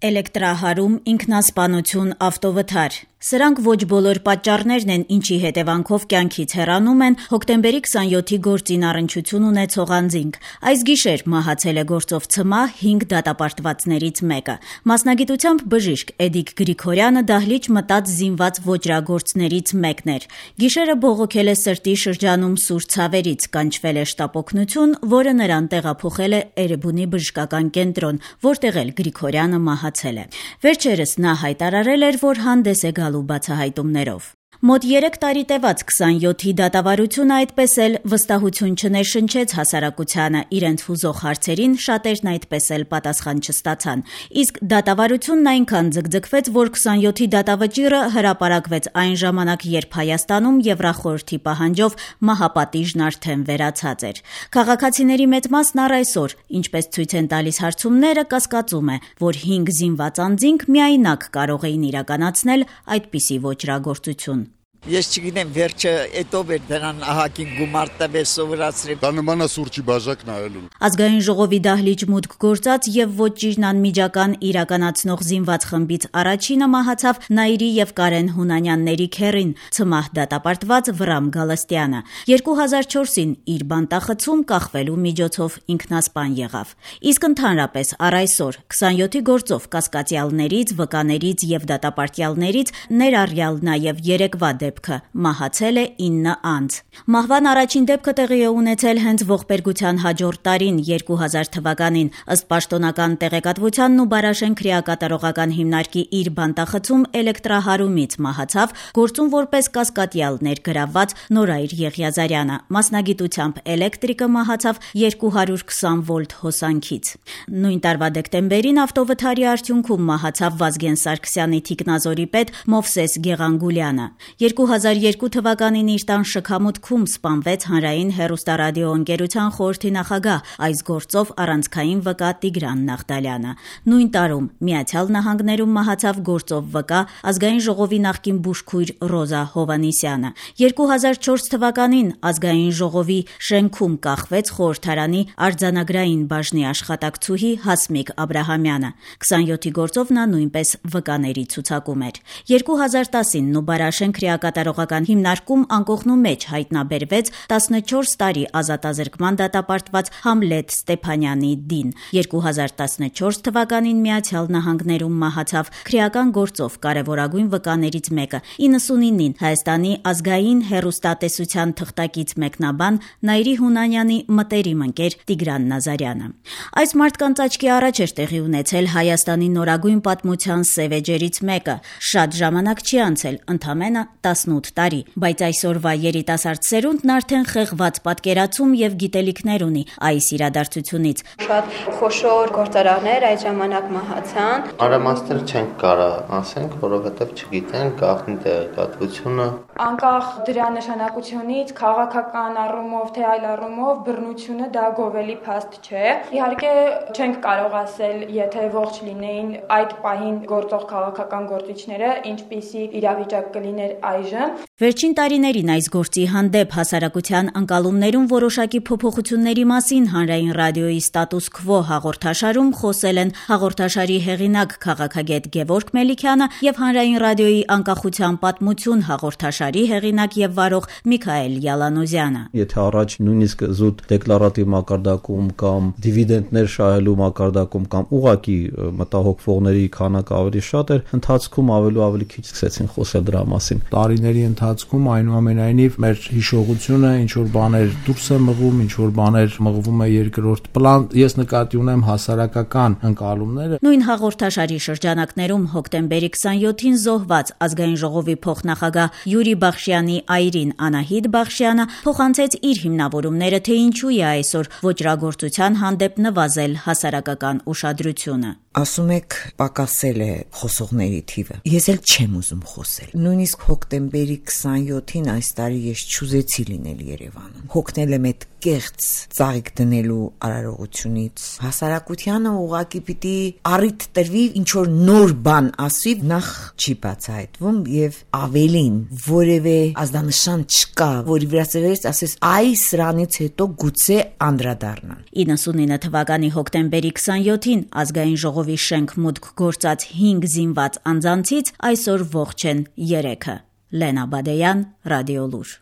Էլեկտրահարում, ինքնասպանություն, ավտովթար։ Սրանք ոչ բոլոր պատճառներն են, ինչի հետևանքով կյանքից հեռանում են հոկտեմբերի 27-ի գործին առնչություն ունեցող անձինք։ Այս գիշեր մահացել է գործով ցմահ 5 դատապարտվածներից մեկը։ Մասնագիտությամբ բժիշկ Էդիկ Գրիգորյանը դահլիճ մտած զինված ոճրագործներից մեկն էր։ Գիշերը բողոքել է սրտի շրջանում սուր ցավերից, կանչվել է շտապօգնություն, որը նրան տեղափոխել է Էրեբունի բժշկական կենտրոն, որտեղ էլ Գրիգորյանը մահացել է։ Վերջերս նա հայտարարել էր, որ հանդես է գալու բացահայտումներով։ Մոտ 3 տարի տևած 27-ի դատավարությունը այդպես էլ վստահություն չներշնչեց հասարակությանը, իրենց հուզող հարցերին շատերն այդպես էլ պատասխան չստացան։ Իսկ դատավարությունն այնքան ձգձգվեց, որ 27-ի դատավճիռը հրապարակվեց այն ժամանակ, երբ Հայաստանում Եվրախորհրդի պահանջով մահապատիժն արդեն վերացած էր։ Քաղաքացիների մեծ մասն առ այսօր, ինչպես ցույց են տալիս հարցումները, կասկածում է, որ 5 զինված անձինք միայնակ կարող էին իրականացնել այդպիսի ոճրագործություն։ Ես չգիտեմ վերջը էտով էր դրան ահագին գումար տվել սովորացրել։ Դա նման է սուրճի բաժակ նայելուն։ Ազգային ժողովի դահլիճ մուտք գործած եւ ոճիրն անմիջական իրականացնող զինված խմբից առաջինը մահացավ Նաիրի եւ Կարեն Հունանյանների քեռին, ցմահ դատապարտված Վրամ Գալստյանը։ 2004-ին իր բանտախցում կախվելու միջոցով ինքնասպան եղավ։ Իսկ ընդհանրապես առ այսօր 27-ի գործով կասկածյալներից, վկաներից եւ դատապարտյալներից ներառյալ նաեւ երեկվա դեպքը մահացել է 9 անձ։ Մահվան առաջին դեպքը տեղի է ունեցել հենց ողբերգության հաջորդ տարին 2000 թվականին, ըստ պաշտոնական տեղեկատվությանն ու Բարաշեն քրեակատարողական հիմնարկի իր բանտախցում էլեկտրահարումից մահացավ գործում որպես կասկադյալ ներգրավված Նորայր Եղիազարյանը, մասնագիտությամբ էլեկտրիկը մահացավ 220 վոլտ հոսանքից։ Նույն տարվա դեկտեմբերին ավտովթարի արդյունքում մահացավ Վազգեն Սարգսյանի թիկնազորի պետ Մովսես Գեղանգուլյանը։ 2002 թվականին իր տան շքամուտքում սպանվեց Հանրային հեռուստարադիոընկերության խորհրդի նախագահ, այս գործով առանցքային վկա Տիգրան Նաղդալյանը։ Նույն տարում Միացյալ Նահանգներում մահացավ գործով վկա Ազգային ժողովի նախկին բուժքույր Ռոզա Հովանիսյանը։ 2004 թվականին Ազգային ժողովի շենքում կախվեց խորհրդարանի արձանագրային բաժնի աշխատակցուհի Հասմիկ Աբրահամյանը։ 27-ի գործով նա նույնպես վկաների ցուցակում էր։ 2010-ին Նուբարաշեն քրեակատարողական հիմնարկում անկողնու մեջ հայտնաբերվեց 14 տարի ազատազրկման դատապարտված Համլետ Ստեփանյանի դին։ 2014 թվականին Միացյալ Նահանգներում մահացավ քրեական գործով կարևորագույն վկաներից մեկը, 99-ին Հայաստանի ազգային հեռուստատեսության թղթակից մեկնաբան Նաիրի Հունանյանի մտերիմ ընկեր Տիգրան Նազարյանը։ Այս մարդկանց աչքի առաջ էր տեղի ունեցել Հայաստանի նորագույն պատմության սև էջերից մեկը։ Շատ ժամանակ չի անցել, ընդամենը 18 տարի, բայց այսօրվա երիտասարդ սերունդն արդեն խեղված պատկերացում եւ գիտելիքներ ունի այս իրադարձությունից։ Շատ խոշոր գործարաններ այդ ժամանակ մահացան։ Արամաստեր չենք կարող ասենք, որովհետեւ չգիտենք գաղտնի տեղեկատվությունը։ Անկախ դրա նշանակությունից քաղաքական առումով թե այլ առումով բռնությունը դա գովելի փաստ չէ։ Իհարկե չենք կարող ասել, եթե ողջ լինեին այդ պահին գործող քաղաքական գործիչները, ինչպիսի իրավիճակ կլիներ այժմ։ Վերջին տարիներին այս գործի հանդեպ հասարակության ընկալումներում որոշակի փոփոխությունների մասին Հանրային ռադիոյի Ստատուս քվո հաղորդաշարում խոսել են հաղորդաշարի հեղինակ քաղաքագետ Գևորգ Մելիքյանը եւ Հանրային ռադիոյի անկախության պատմություն հաղորդաշարի հեղինակ եւ վարող Միքայել Յալանոզյանը։ Եթե առաջ նույնիսկ զուտ դեկլարատիվ մակարդակում կամ դիվիդենտներ շահելու մակարդակում կամ ուղակի մտահոգվողների քանակը ավելի շատ էր, ընթացքում ավելի քիչ սկսեցին խոսել դրա մասին։ Տարիների ընթացքում այնուամենայնիվ մեր հիշողությունը ինչ որ բաներ դուրս է մղում, ինչ որ բաներ մղվում է երկրորդ պլան, ես նկատի ունեմ հասարակական ընկալումները։ Նույն հաղորդաշարի շրջանակներում հոկտեմբերի 27-ին զոհված Ազգային ժողովի փոխնախագահ Յուրի Բախշյանի այրին Անահիտ Բախշյանը փոխանցեց իր հիմնավորումները, թե ինչու է այսօր ոճրագործության հանդեպ նվազել հասարակական ուշադրությունը։ Ասում եք պակասել է խոսողների թիվը։ Ես էլ չեմ ուզում խոսել։ Նույնիսկ հոկտեմբերի 27-ին այս տարի ես չուզեցի լինել Երևանում։ Հոգնել եմ այդ կեղծ ծաղիկ դնելու արարողությունից։ Հասարակությանը ուղղակի պիտի առիթ տրվի ինչ որ նոր բան ասի, նախ չի բացահայտվում եւ ավելին որևէ ազդանշան չկա, որի վրա ծերես ասես այ սրանից հետո գուցե անդրադառնան։ 99 թվականի հոկտեմբերի 27-ին Ազգային ժողովի ժողովի շենք մուտք գործած 5 զինված անձանցից այսօր ողջ են 3-ը։ Լենա Բադեյան, Ռադիոլուր։